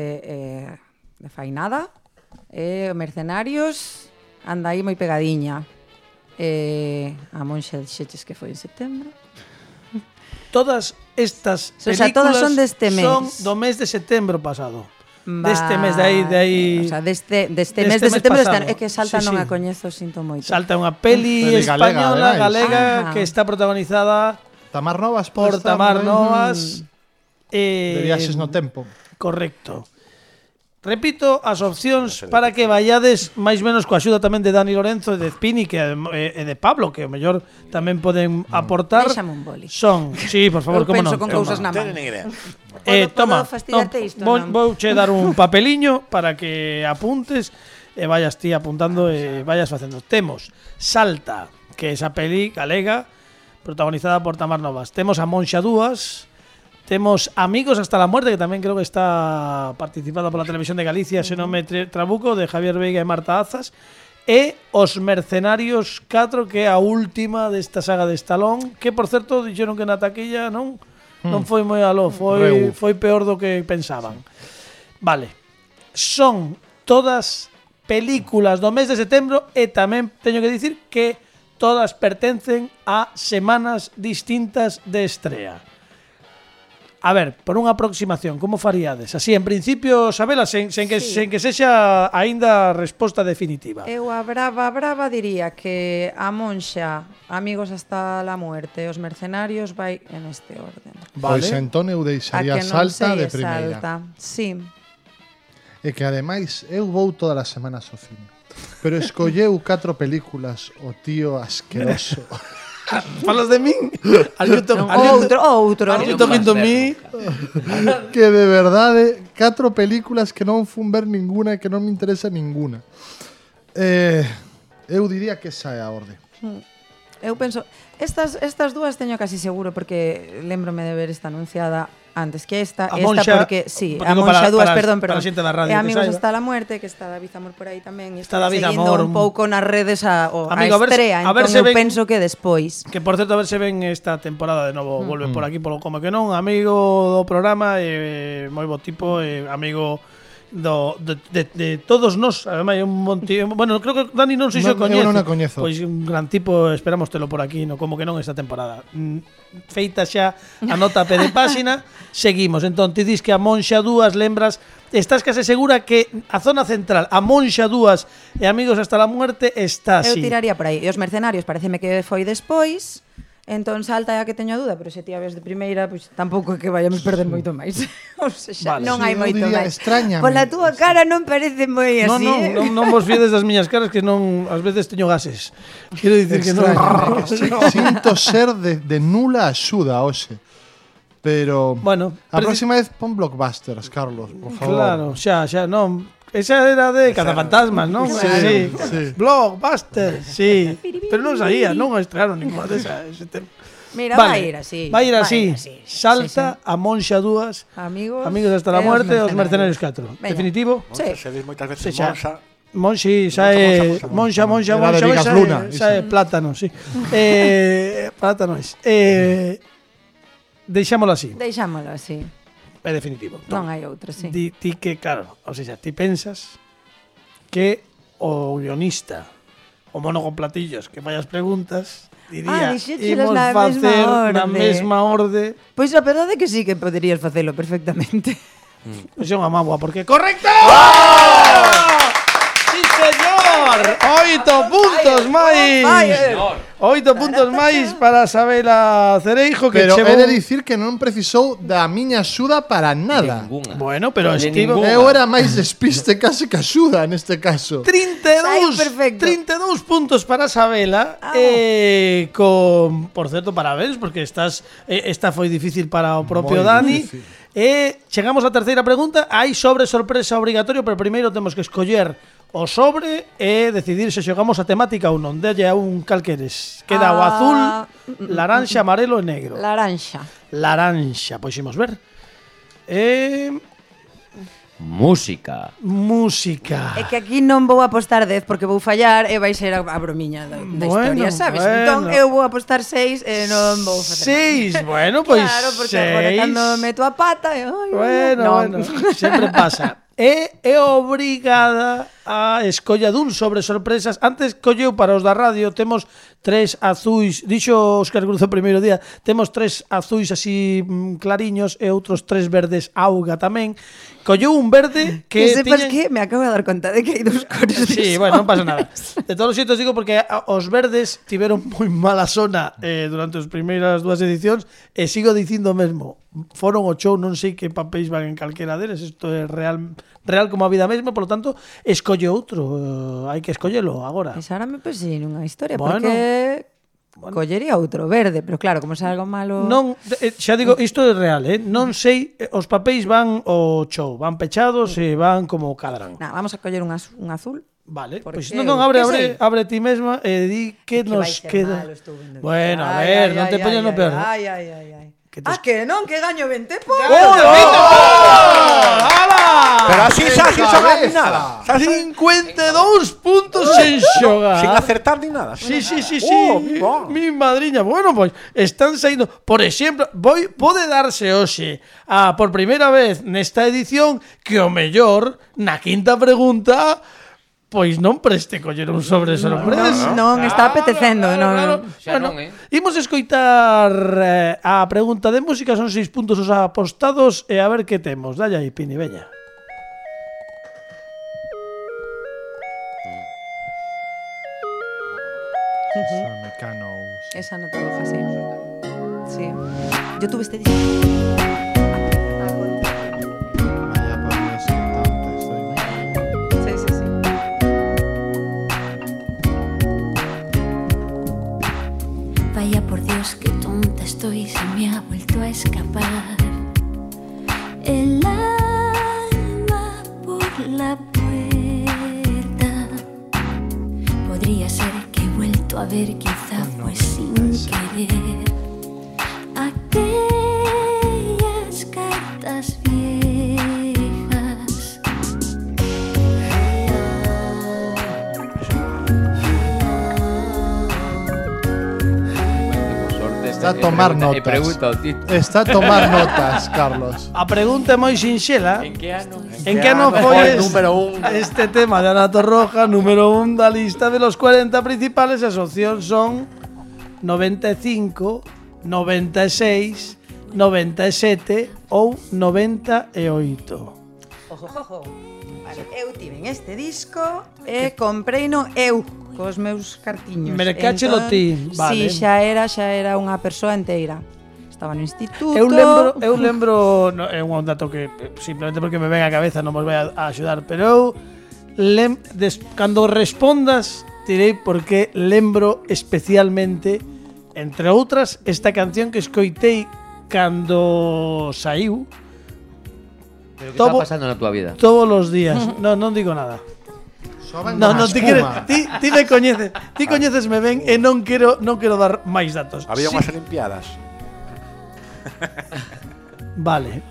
de Fainada. Mercenarios, anda aí moi pegadiña. A Monxa dixeches que foi en setembro. Todas estas películas, o sea, todas son deste mes. Son do mes de setembro pasado. Deste mes de aí. O sea, deste mes de setembro pasado. É que Salta Sí, non sí. a coñezo, sinto moito. Salta unha peli española, galega, que está protagonizada Tamar Novas por Tamar Novas. De Viaxes no tempo. Correcto. Repito as opcións para que vayades máis menos coa axuda tamén de Dani Lorenzo e de Pini e de Pablo, que o mellor tamén poden aportar. Déxame un boli. Son, sí, por favor, Eu como penso non. con cousas na man. Tenen idea. Toma, fastidiarte isto, non? vouche dar un papeliño para que apuntes e vayas ti apuntando e vayas facendo. Temos Salta, que é esa peli galega protagonizada por Tamar Novas. Temos A Monxa 2. Temos Amigos hasta la muerte, que tamén creo que está participada pola Televisión de Galicia, se non me trabuco, de Javier Veiga e Marta Azas. E Os Mercenarios 4, que é a última desta saga de Stallone, que, por certo, dixeron que na taquilla non foi moi aló, foi peor do que pensaban. Vale. Son todas películas do mes de setembro e tamén teño que dicir que todas pertencen a semanas distintas de estrea. A ver, por unha aproximación, como faríades? Así, en principio, sabela, sen que sexa aínda a resposta definitiva. Eu a brava diría que a Monxa, Amigos hasta la muerte, Os mercenarios vai en este orden. Pois entón eu A deixaría que non Salta sei de primeira. Salta. Sí. E que ademais eu vou todas as semanas ao cine. Pero escolleu 4 películas o tío asqueroso. Falas de min? Outro. Are you talking to me? Que de verdade 4 películas que non fun ver ninguna e que non me interesa ninguna. Eu diría que esa é a orde. Eu penso, estas dúas teño casi seguro porque lembrome de ver esta anunciada antes que esta porque sí, a Monxa dúas, perdón, para a xente da radio, Amigos que hasta la muerte, que está David Amor por aí tamén, e está David seguindo Amor, un pouco nas redes a amigo, estrea, a ver entón se eu ven, penso que despois. Que por certo, a ver se ven esta temporada de novo, volve por aquí polo Como que non, amigo do programa, moi bo tipo, amigo de todos nós, ademais un monte, bueno, creo que Dani non sei se o coñece. Eu non a coñezo. Pois un gran tipo, esperamos telo por aquí, no Como que non esta temporada. Feita xa a nota a pé de páxina, seguimos. Entón, ti dis que a Monxa 2 lembras, estás case segura que a zona central, a Monxa 2 e Amigos hasta la muerte está así. Eu tiraría por aí. E Os mercenarios pareceme que foi despois. Entón Salta é a que teño a dúda, pero se ti a ves de primeira, pois tampouco é que vayamos perder moito máis. O sea, Vale. non hai Sí, eu moito diría, máis. extrañame. Pola túa cara non parece moi así. Non vos fiedes das miñas caras que non ás veces teño gases. Quero dicir que non. Sinto ser de nula axuda hoxe. Pero Bueno, a próxima vez pon blockbusters, Carlos, por favor. Claro, xa, non. Esa era de Cazafantasmas, non? Sí. Blockbuster, sí. Pero non saía, non estrearon ninguna desa ese tempo. Mira, vai ir así. Vai ir así. Salta a Monxa 2, Amigos hasta la muerte, Os mercenarios 4. Venga. Definitivo? Sí. Se dis moitas veces Sí, xa. Monxa, Monxi, xa é Monxa, Era de Vigas Luna, xa é plátano, sí. Plátano es. Deixámolo así. Deixámolo así. É definitivo. Non hai outro, sí. Ti que, claro, ou seja, ti pensas que o guionista, o mono con platillos que fai as preguntas, diría, dixéchelas imos na facer mesma na orde. mesma orde. Pois a verdade é que sí que poderías facelo perfectamente. Pois é unha mágoa, porque correcto! Sí, señor! 8 puntos máis! 8 puntos máis para Sabela Cereijo, que Pero chegou... he de dicir que non precisou da miña axuda para nada. Ninguna. Bueno, pero De estivo... ninguna. Eu era máis despiste casi que axuda neste caso. 32, perfecto. 32 puntos para Sabela. Con, por certo, parabéns, porque esta foi difícil para o propio Moi Dani. difícil. Chegamos á terceira pregunta. Hai sobre sorpresa obrigatorio, pero primeiro temos que escoller o sobre e decidir se xogamos a temática ou non. Delle a un calqueres. Queda o azul, laranxa, amarelo e negro. Laranxa. Laranxa, pois imos ver. Música. Música. É que aquí non vou apostar 10 porque vou fallar e vai ser a bromiña da Bueno, historia, sabes? bueno. Entón eu vou apostar 6 e non vou facer. 6, bueno, pois Claro, porque agora cando meto a pata, Bueno, sempre pasa. É obrigada a escolla dun sobre sorpresas. Antes colleu para os da radio, temos 3 azuis, dixo Óscar Cruz o primeiro día, temos 3 azuis así clariños e outros 3 verdes auga tamén. Colleu un verde que sepas tiñen... que me acabo de dar conta de que hai 2 cores de Sí, bueno, non pasa nada. De todos os xeitos digo porque os verdes tiveron moi mala zona durante as primeiras 2 edicións e sigo dicindo mesmo. Foron o show, non sei que papéis van en calquera deles, isto é real como a vida mesma, por lo tanto, escolle outro, hai que escollelo agora. Pois ahora me pensei nunha historia, Bueno. porque collería outro verde, pero claro, como se algo malo... Non, xa digo, isto é real, non sei, os papéis van ao show, van pechados e van como cadran. Nah, vamos a coller un azul. Vale, Porque pois non, abre que sei. ti mesma e di que Que vai nos ser queda. malo, estou vendo. Bueno, a ver, non te poñas no peor. Ai. Que te- Que non, que gaño 20 puntos. ¡Hala! pero así xa sin xogar ni nada. Xa sin 52 puntos sen xogar. sin acertar ni nada. Sí. Wow. Mi madriña. Bueno, pois están saindo, por exemplo, pode darse hoxe por primeira vez nesta edición que o mellor na quinta pregunta Pois non preste coller un sobre sorpresa. Non está apetecendo, non. Xa Bueno, non, imos escoitar a pregunta de música, son 6 puntos os apostados e a ver que temos. Dalle aí, Pini, veña. Mecanos. Esa no te deja, sí. Sí. Yo tuve este disco. Vaya por Dios, qué tonta estoy. Sí, sí, sí. Vaya por Dios, qué tonta estoy, se me ha vuelto a escapar el alma por la puerta. Podría ser que he vuelto a ver, quizá fue sin querer, aquellas cartas viejas. Está a tomar notas. Pregunta ao Tito. Está a tomar notas, Carlos. A pregunta é moi sinxela. En que ano? En que ano foi número un? este tema de Ana Torroja, número 1 da lista de los 40 principales? As opcións son 95, 96, 97 ou 98. Ojo, ojo. Vale, eu tiven este disco e compreino eu cos meus cartiños. Mercáchelo ti, vale. Si, xa era unha persoa inteira. Estaba no instituto. Eu lembro no, é un dato que simplemente porque me ven a cabeza non vos vai a axudar, pero eu cando respondas direi porque lembro especialmente, entre outras, esta canción que escoitei cando saiu. Pero que está pasando na túa vida? Todos os días. Non digo nada. No, ti queres, ti me coñeces, ti coñecesme ben e non quero dar máis datos. Había unhas olimpiadas. Vale.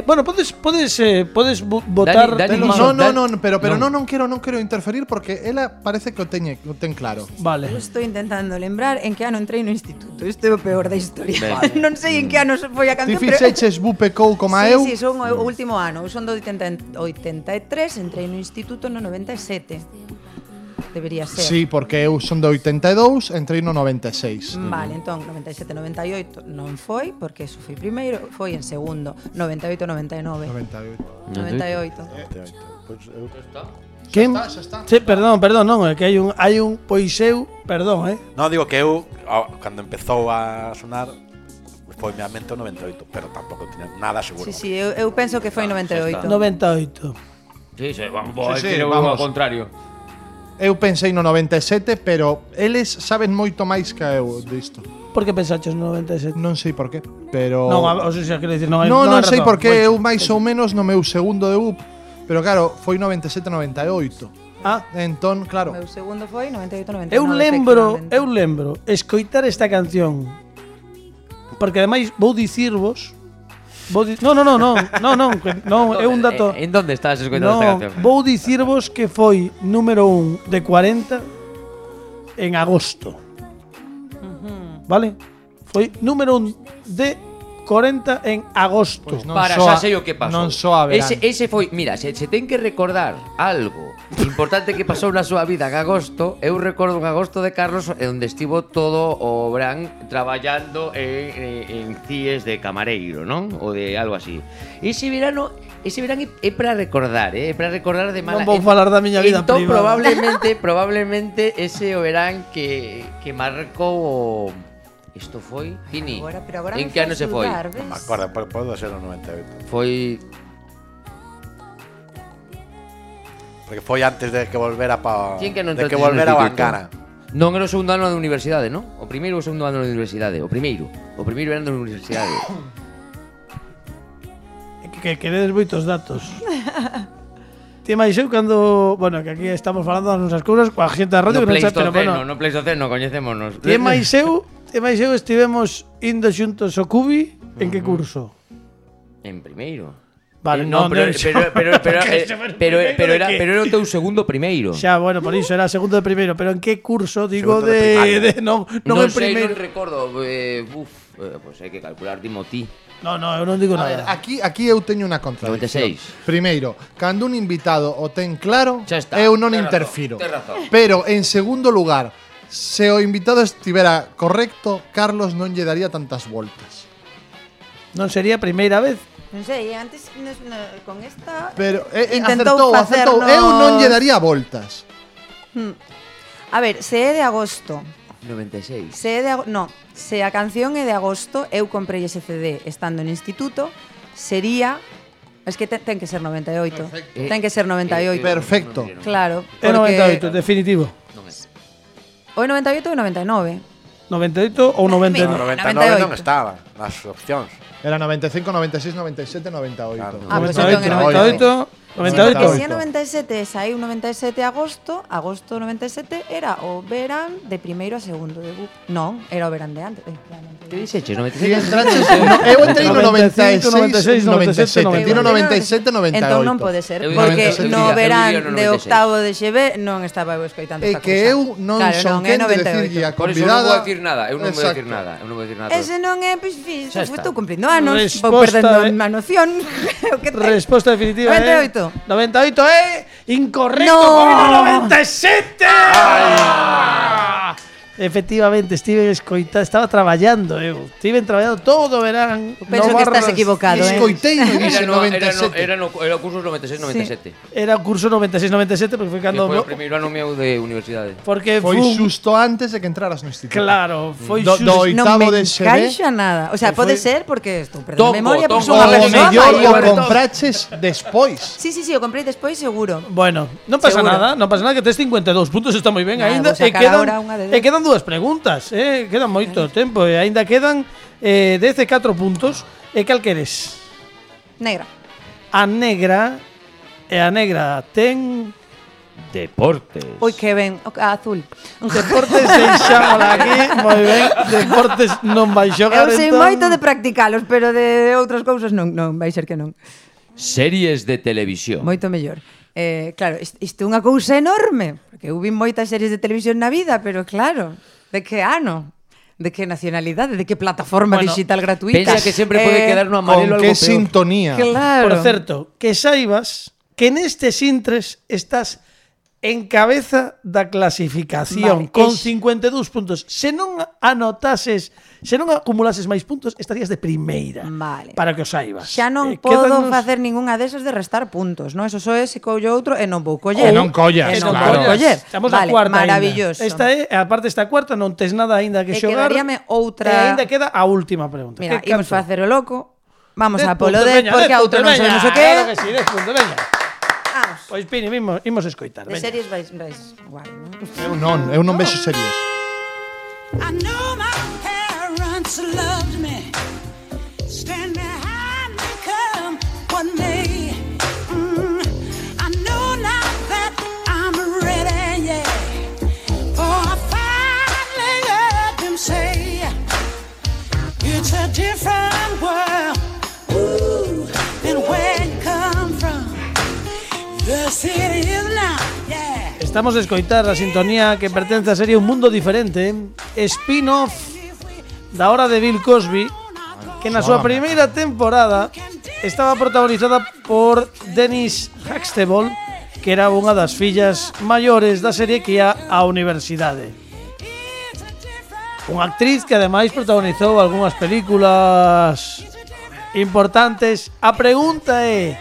Bueno, podes votar. Dani, No, pero non quero interferir porque ela parece que o ten claro. Vale. Eu estou intentando lembrar en que ano entrei no instituto. Isto é o peor da historia. Ben. Non sei en que ano foi a Ti canción, pero... fixeches Bupecou como Sí, eu. sí, son o último ano. Eu son do 83, entrei no instituto no 97. Debería ser. Sí, porque eu son de 82, entrei no 96. Vale, entón 97, 98 non foi, porque eso foi primeiro, foi en segundo, 98, 99. 98. 98. Pois eu Quen? Xa está. Sí, perdón, non, é que hai un poiseu, perdón, Non, digo que eu, cando empezou a sonar, foi mi a mente o 98, pero tampouco tiña nada seguro. Sí, sí, eu penso que foi 98. 98. Sí, vamos, Sí, vamos. vamos. Ao contrario. Eu pensei no 97, pero eles saben moito máis que eu disto. Por que pensaches no 97? Non sei por qué, pero Non, o sea, quero dicir, non hai Non hai sei razón. por que Pois- eu máis ou menos no meu segundo de UP, pero claro, foi 97-98. Ah, Entón, O claro, meu segundo foi 98, 99. eu lembro escoitar esta canción. Porque ademais vou dicirvos. Non, é un dato. En donde estás escoitando esta canción? Vou dicirvos que foi número 1 de 40 en agosto. Vale? Foi número 1 de 40 en agosto. Pois non Para, soa- xa sei o que pasou. non soa verán. Ese foi, mira, se ten que recordar algo importante que pasou na súa vida en agosto, eu recordo un agosto de Carlos onde estivo todo o verán traballando en CIES de camareiro, non? Ou de algo así. Ese verán é para recordar, é para recordar de mala. Non vou falar da miña vida entón, privada. probablemente ese o verán que marcou o... Isto foi, Pini. Pero agora En me que ano faz se foi? dudar, Non me ves? acordo, pode ser o 98. Foi Porque foi antes de que volvera pa Quen que non de que entraste volvera no a instituto? Bancana. Non era o segundo ano da universidade, non? O primeiro ou o segundo ano da universidade? O primeiro era da universidade. Que queredes moitos datos. Ti máis eu cando, bueno, que aquí estamos falando das nosas cousas coa xente da radio No que non sabe, pero bueno. No Pleistoceno, coñecémonos. Ti máis eu estivemos indo xuntos ao Cubi, en que curso? En primeiro. Vale, no, pero era o teu segundo primeiro. Xa, bueno, por iso era segundo de primeiro, pero en que curso? Digo Segundo de primaria. non non en sei, primeiro. non recordo. Pois hai que calcular, dimo ti. No, eu non digo A ver, nada. aquí eu teño unha contradicción. 96. Primeiro, cando un invitado o ten claro, Xa está. eu non Tes razón, interfiro. tes razón. Pero, en segundo lugar, se o invitado estivera correcto, Carlos non lle daría tantas voltas. Non sería a primeira vez. Non sei, antes con esta Pero intentou acertou. facernos... Eu non lle daría voltas. A ver, se é de agosto, 96. se a canción é de agosto, eu comprei ese CD estando no instituto, sería... Es que ten que ser 98. Perfecto. Ten que ser 98. Perfecto. Claro. É 98, definitivo. Non é. O 98 ou 99. 98 ou 99. 99 non estaba nas opcións. Era 95, 96, 97, 98. Claro. Ah, pues entón é 98. Sí, porque si é 97, saiu 97 agosto 97 era o verán de primeiro a segundo de BUP. Non, era o verán de antes. Que dixeches? Si 96? entraches, eu entrei no 96, 97. Tino 97, 98. Entón non pode ser, Eu porque 97, no eu verán vivía no de 96. octavo de GB non estaba eu escoitando É esta que cousa. eu non Claro, son non, é quen de 98. decirlle a Por iso non convidada. vou dicir nada, eu non vou Exacto. dicir nada, eu non vou dicir nada. Ese non é, pois, Xa está. estou cumprindo anos, vou Resposta perdendo de- a noción. O que ten? Resposta definitiva 98. 98 é incorrecto. No. 97. Efectivamente, estaba traballando eu. Estiven traballando todo o verán. Penso que estás equivocado, Escoitei no Era, dixen no, 97. era o curso 96-97. Era o curso 96-97 porque foi Que cando foi o primeiro ano meu de universidade. porque Foi fun- xusto antes de que entraras no instituto. claro, foi Do xusto. oitavo Non me de GB. encaixa nada. O sea, Foi- pode ser porque estou perdendo Tongo, memoria, porque tongo. son unha O persoa mellor o maior. compraches despois. Sí, o comprei despois seguro. Bueno, non pasa Seguro. nada, non pasa nada que tes 52 puntos, está moi ben Nada, aínda vou sacar ahora unha de 10. quedan dúas preguntas, quedan moito tempo e aínda quedan 14 puntos. E cal queres? Negra. A negra ten Deportes. Ui, que ben. O azul. deportes, deixámola aquí, moi ben. Deportes non vai xogar. Eu sei entón. moito de practicalos, pero de outras cousas non, vai ser que non. Series de televisión. Moito mellor. Claro, isto é unha cousa enorme, porque eu vi moitas series de televisión na vida, pero claro, de que ano? De que nacionalidade? De que plataforma Bueno, digital gratuita? Pensa que sempre pode quedar no amarelo Con algo que peor. sintonía. Claro. Por certo, que saibas que nestes intres estás en cabeza da clasificación Vale, con es- 52 puntos. Se non acumulases máis puntos, estarías de primeira. Vale. Para que o saibas. Xa non Quédanos- podo facer ningunha desas de restar puntos, non? Eso só é se collo outro e non vou coller. E non collas, E non claro. vou coller. Estamos Vale, a cuarta maravilloso. Esta é, aparte esta cuarta, non tes nada aínda que E xogar. quedaríame outra- E aínda queda a última pregunta. Mira, Que imos canto? facer o loco. Vamos 10 a polo puntos, 10, veña, porque 10 a outro puntos, non veña. sabemos o que Claro é. que sí, 10 puntos, veña. Vamos. Pois Pini, imos escoitar, De veña. series vais igual, non? Eu non vexo series. I know my parents loved me, stand behind me, come what may. I know now that I'm ready, yeah. For I finally heard them say, it's a different world, ooh, than where you come from. The city is now, yeah. Estamos a escoitar a sintonía que pertence á serie Un Mundo Diferente, spin-off da hora de Bill Cosby, que na súa primeira temporada estaba protagonizada por Dennis Huxtable, que era unha das fillas maiores da serie que ia á universidade. Unha actriz que ademais protagonizou algunhas películas importantes. A pregunta é: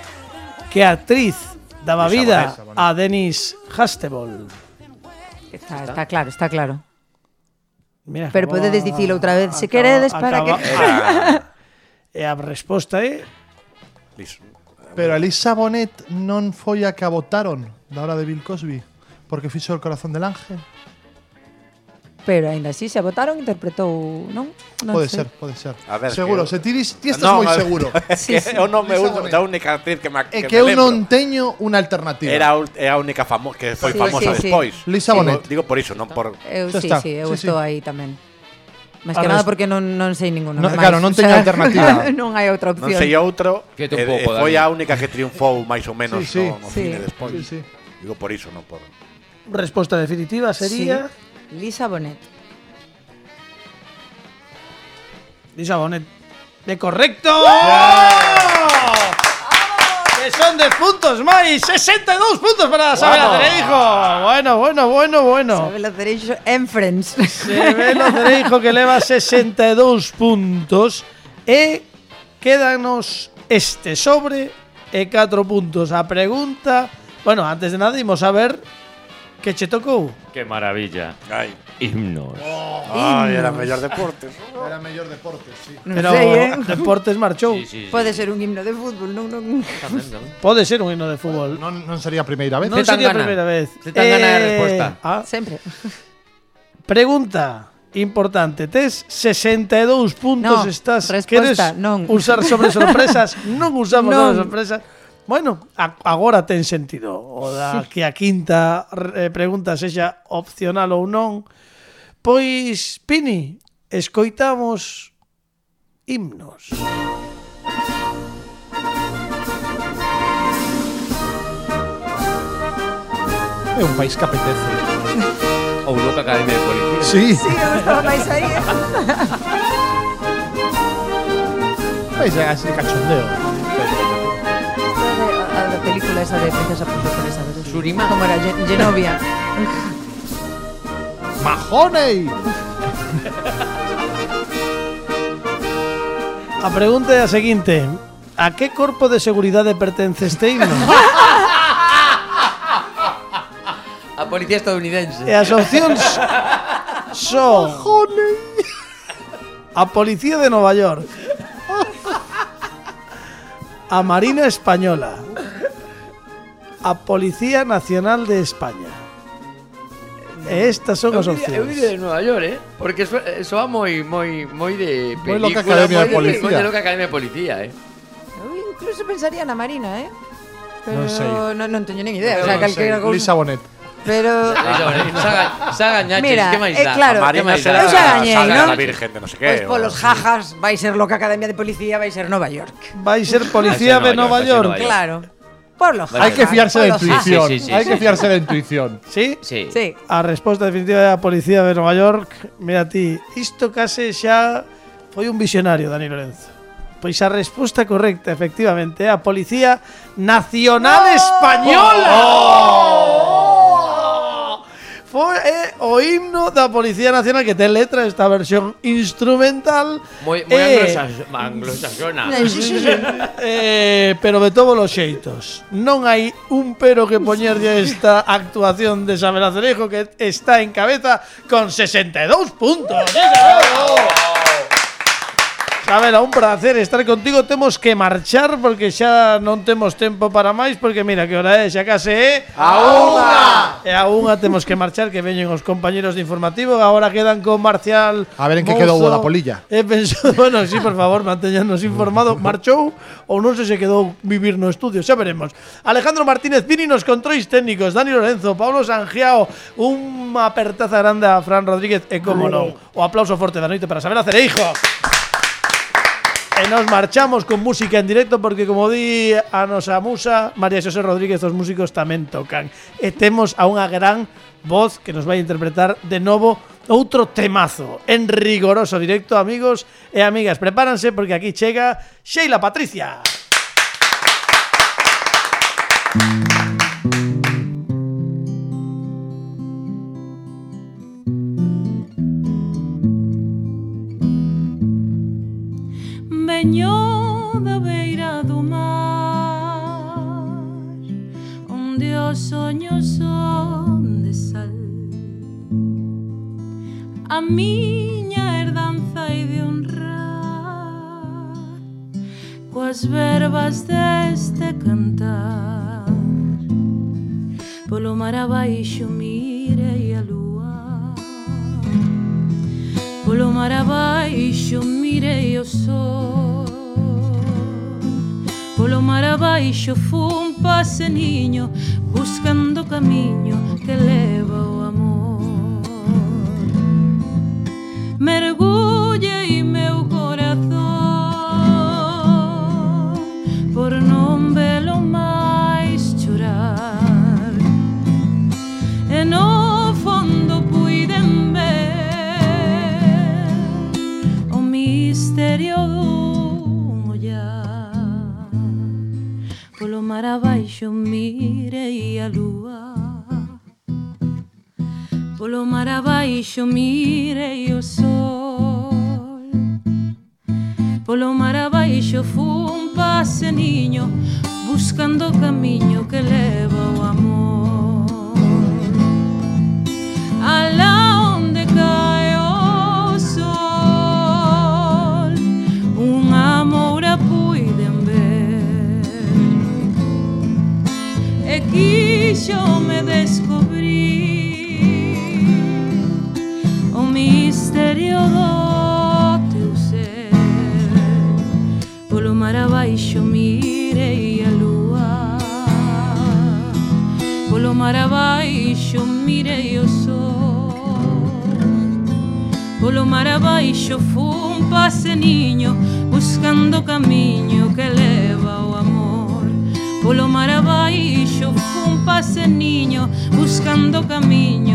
que actriz daba vida a Dennis Huxtable? Está claro, está claro. Mira, Pero podedes dicilo outra vez, se queredes, para que... E a resposta é Liso. Pero a Lisa Bonet non foi a que a votaron da hora de Bill Cosby porque fixo El corazón del ángel. Pero aínda así se votaron, interpretou, non? Non Pode sei. ser, pode ser. A ver, Seguro, que- se ti estás Non, moi a ver, seguro. É que Sí, sí. eu non me Lisa uso Bonet. da única actriz que me É que que me eu lembro. non teño unha alternativa. É a única que foi Sí, famosa sí, sí. despois. Lisa Bonet. Digo por iso, non por Eu Xa sí, está. sí, eu Sí, sí. estou aí tamén. Máis A que nada res- porque non sei ninguno. No, máis. claro, non teño alternativa. Non hai outra non opción. sei outro. Que te un pouco, foi Dani. a única que triunfou máis ou menos Sí, sí. no Sí. cine despois. Sí, sí. Digo por iso, non por. resposta definitiva sería Lisa Bonet. Di Sabonet. De correcto. Que son 10 puntos máis, 62 puntos para Sabela Cereijo. Bueno. Sabela Cereijo en Friends. Sabela Cereijo que leva 62 puntos e quédanos este sobre e 4 puntos. A pregunta, bueno, antes de nada imos a ver que che tocou. ¡Qué maravilla! Ai, Himnos. era mellor deporte. Era mellor deporte, sí. Non Pero sei, Deportes marchou. Sí. Pode ser un himno de fútbol, non. Pode ser un himno de fútbol. Non sería a primeira vez. Non Te tan sería a gana. primeira vez. Te tan gana de resposta. Sempre. Pregunta importante. Tes 62 puntos. No, Estás. resposta, Queres non. usar sobre sorpresas? Non usamos Non. sobre sorpresas. Bueno, agora ten sentido. O da que a quinta pregunta sexa opcional ou non. Pois, Pini, escoitamos himnos. É un país que apetece. Ou Loca Academia de Policía. Sí, Sí, eu estaba máis aí. país así de cachondeo. A película esa de Princesa Profesora, ¿sabes? Surima. Como era Genovia. ¡Mahoney! A pregunta é a seguinte. A que corpo de seguridade pertence este himno? A policía estadounidense. E as opcións son a Policía de Nova York, a Marina Española, a Policía Nacional de España. E estas son as Eu opcións. de Nueva York, Porque soa moi de película, Loca Academia de Policía. Moi de Loca Academia de Policía, Eu incluso pensaría na Marina, Pero Non sei. non teño nin idea. O sea, calquera cousa. Lisa Bonet. Pero Xa gañaches, Mira, que máis dá? claro, A Marina eu será xa gañei, Saga non? da Virgen de no sé Pois qué. polos jajas vai ser Loca Academia de Policía, vai ser Nova York. Vai ser Policía de Nova York. Claro. Por los Hay que jajas, fiarse por de los intuición. Sí, sí, sí, Hay sí. que fiarse de intuición. Sí? Sí. jajas. Sí. A resposta definitiva é a Policía de Nova York. Mira ti, isto case xa foi un visionario, Dani Lorenzo. Pois a resposta correcta, efectivamente, é a Policía Nacional Española. Foi o himno da Policía Nacional que ten letra, esta versión instrumental. Moi anglosaxona. Pero de todos os xeitos. Non hai un pero que poñerlle a esta actuación de Sabela Cereijo, que está en cabeza con 62 puntos. Sabela, un placer estar contigo. Temos que marchar porque xa non temos tempo para máis, porque mira que hora é, xa case é ¡A unha! E a unha temos que marchar, que veñen os compañeros de informativo. Agora quedan con Marcial. A ver en que Mouzo. quedou da polilla. Bueno, sí, por favor, mantéñanos informado. Marchou ou non sei se quedou vivir no estudio, xa veremos. Alejandro Martínez Pini nos controis técnicos, Dani Lorenzo, Pablo Sangiao, unha apertaza grande a Fran Rodríguez e, como non, o aplauso forte da noite para Sabela Cereijo. E nos marchamos con música en directo porque, como di a nosa musa María Xosé Rodríguez, os músicos tamén tocan. E temos a unha gran voz que nos vai interpretar de novo outro temazo en rigoroso directo, amigos e amigas. Prepáranse porque aquí chega Sheila Patricia. Veño da beira do mar, onde os soños son de sal. A miña herdanza hai de honrar coas verbas deste cantar. Polo mar abaixo mirei a lúa, polo mar abaixo mirei o sol, polo mar abaixo fun paseniño buscando o camiño que leva o amor. Mergullei meu corazón por non velo máis chorar, e no fondo puiden ver o misterio abaixo mirei a lúa, polo mar abaixo mirei o sol, polo mar abaixo fun paseniño buscando o camiño que leva o amor. Alá onde cae o sol, unha moura puiden ver, e quixo me descubrir o misterio do teu ser. Polo mar abaixo mirei a lúa, polo mar abaixo mirei o sol, polo mar abaixo fun paseniño buscando o camiño que leva o amor. Polo mar abaixo fun paseniño buscando o camiño